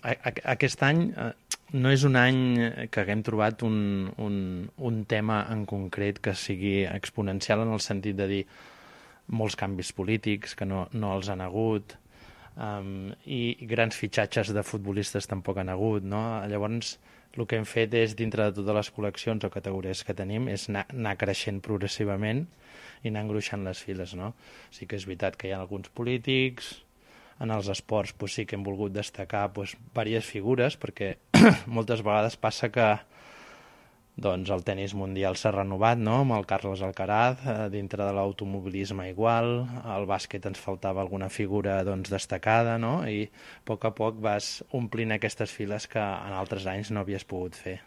Aquest any no és un any que haguem trobat un tema en concret que sigui exponencial en el sentit de dir molts canvis polítics que no els han hagut, i grans fitxatges de futbolistes tampoc han hagut, no? Llavors, el que hem fet és, dintre de totes les col·leccions o categories que tenim, és anar creixent progressivament i anar engruixant les files, no? Sí que és veritat que hi ha alguns polítics, en els esports doncs, sí que hem volgut destacar doncs, diverses figures, perquè moltes vegades passa que doncs, el tennis mundial s'ha renovat, no?, amb el Carlos Alcaraz, dintre de l'automobilisme igual, al bàsquet ens faltava alguna figura doncs, destacada, no?, i a poc vas omplint aquestes files que en altres anys no havies pogut fer.